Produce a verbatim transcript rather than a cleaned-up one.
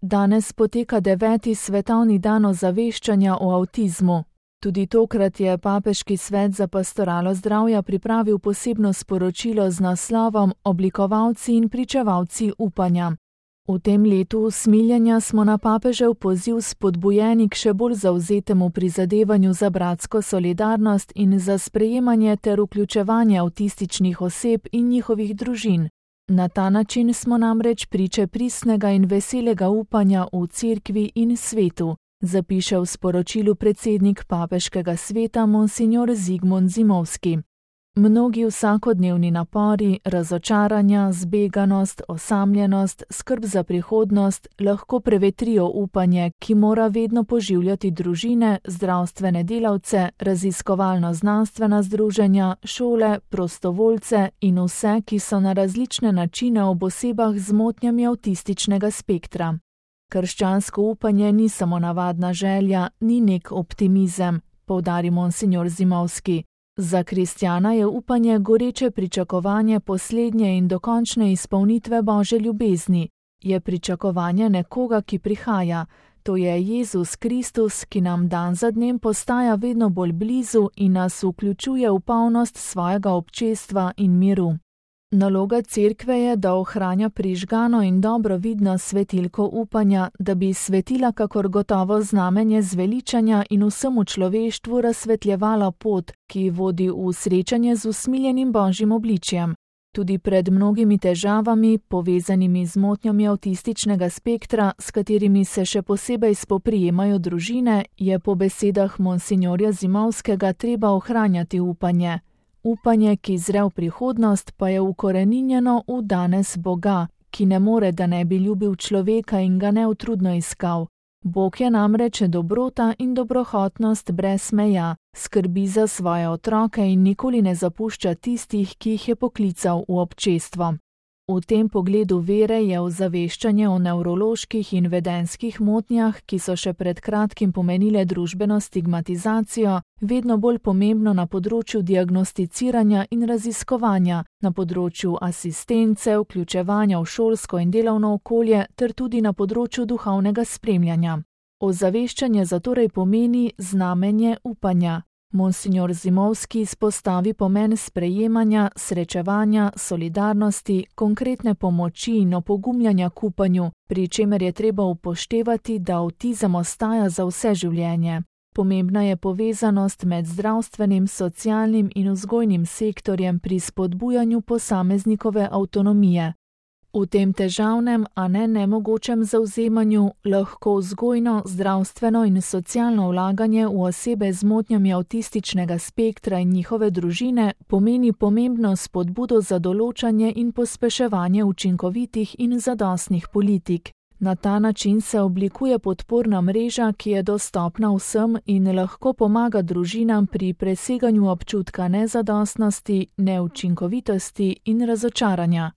Danes poteka deveti svetovni dan ozaveščanja o avtizmu. Tudi tokrat je Papeški svet za pastoralo zdravja pripravil posebno sporočilo z naslovom Oblikovalci in pričevalci upanja. V tem letu usmiljenja smo na papežev poziv spodbujeni k še bolj zavzetemu prizadevanju za bratsko solidarnost in za sprejemanje ter vključevanje avtističnih oseb in njihovih družin. Na ta način smo namreč priče pristnega in veselega upanja v cerkvi in svetu, zapiše v sporočilu predsednik Papeškega sveta monsignor Zigmund Zimovski. Mnogi vsakodnevni napori, razočaranja, zbeganost, osamljenost, skrb za prihodnost lahko prevetrijo upanje, ki mora vedno poživljati družine, zdravstvene delavce, raziskovalno-znanstvena združenja, šole, prostovoljce in vse, ki so na različne načine ob osebah z motnjami avtističnega spektra. Krščansko upanje ni samo navadna želja, ni nek optimizem, poudari monsignor Zimovski. Za kristjana je upanje goreče pričakovanje poslednje in dokončne izpolnitve Božje ljubezni. Je pričakovanje nekoga, ki prihaja. To je Jezus Kristus, ki nam dan za dnem postaja vedno bolj blizu in nas vključuje v polnost svojega občestva in miru. Naloga cerkve je, da ohranja prižgano in dobro vidno svetilko upanja, da bi svetila kakor gotovo znamenje zveličanja in vsemu človeštvu razsvetljevala pot, ki vodi v srečanje z usmiljenim Božjim obličjem. Tudi pred mnogimi težavami, povezanimi z motnjami avtističnega spektra, s katerimi se še posebej spoprijemajo družine, je po besedah monsignorja Zimovskega treba ohranjati upanje. Upanje, ki zre v prihodnost, pa je ukoreninjeno v danes Boga, ki ne more, da ne bi ljubil človeka in ga neutrudno iskal. Bog je namreč dobrota in dobrohotnost brez meja, skrbi za svoje otroke in nikoli ne zapušča tistih, ki jih je poklical v občestvo. V tem pogledu vere je ozaveščanje o nevroloških in vedenjskih motnjah, ki so še pred kratkim pomenile družbeno stigmatizacijo, vedno bolj pomembno na področju diagnosticiranja in raziskovanja, na področju asistence, vključevanja v šolsko in delovno okolje ter tudi na področju duhovnega spremljanja. Ozaveščanje zatorej pomeni znamenje upanja. Monsignor Zimovski izpostavi pomen sprejemanja, srečevanja, solidarnosti, konkretne pomoči in opogumljanja k upanju, pri čemer je treba upoštevati, da avtizem ostaja za vse življenje. Pomembna je povezanost med zdravstvenim, socialnim in vzgojnim sektorjem pri spodbujanju posameznikove avtonomije. V tem težavnem, a ne nemogočem zavzemanju lahko vzgojno, zdravstveno in socialno vlaganje v osebe z motnjami avtističnega spektra in njihove družine pomeni pomembno spodbudo za določanje in pospeševanje učinkovitih in zadostnih politik. Na ta način se oblikuje podporna mreža, ki je dostopna vsem in lahko pomaga družinam pri preseganju občutka nezadostnosti, neučinkovitosti in razočaranja.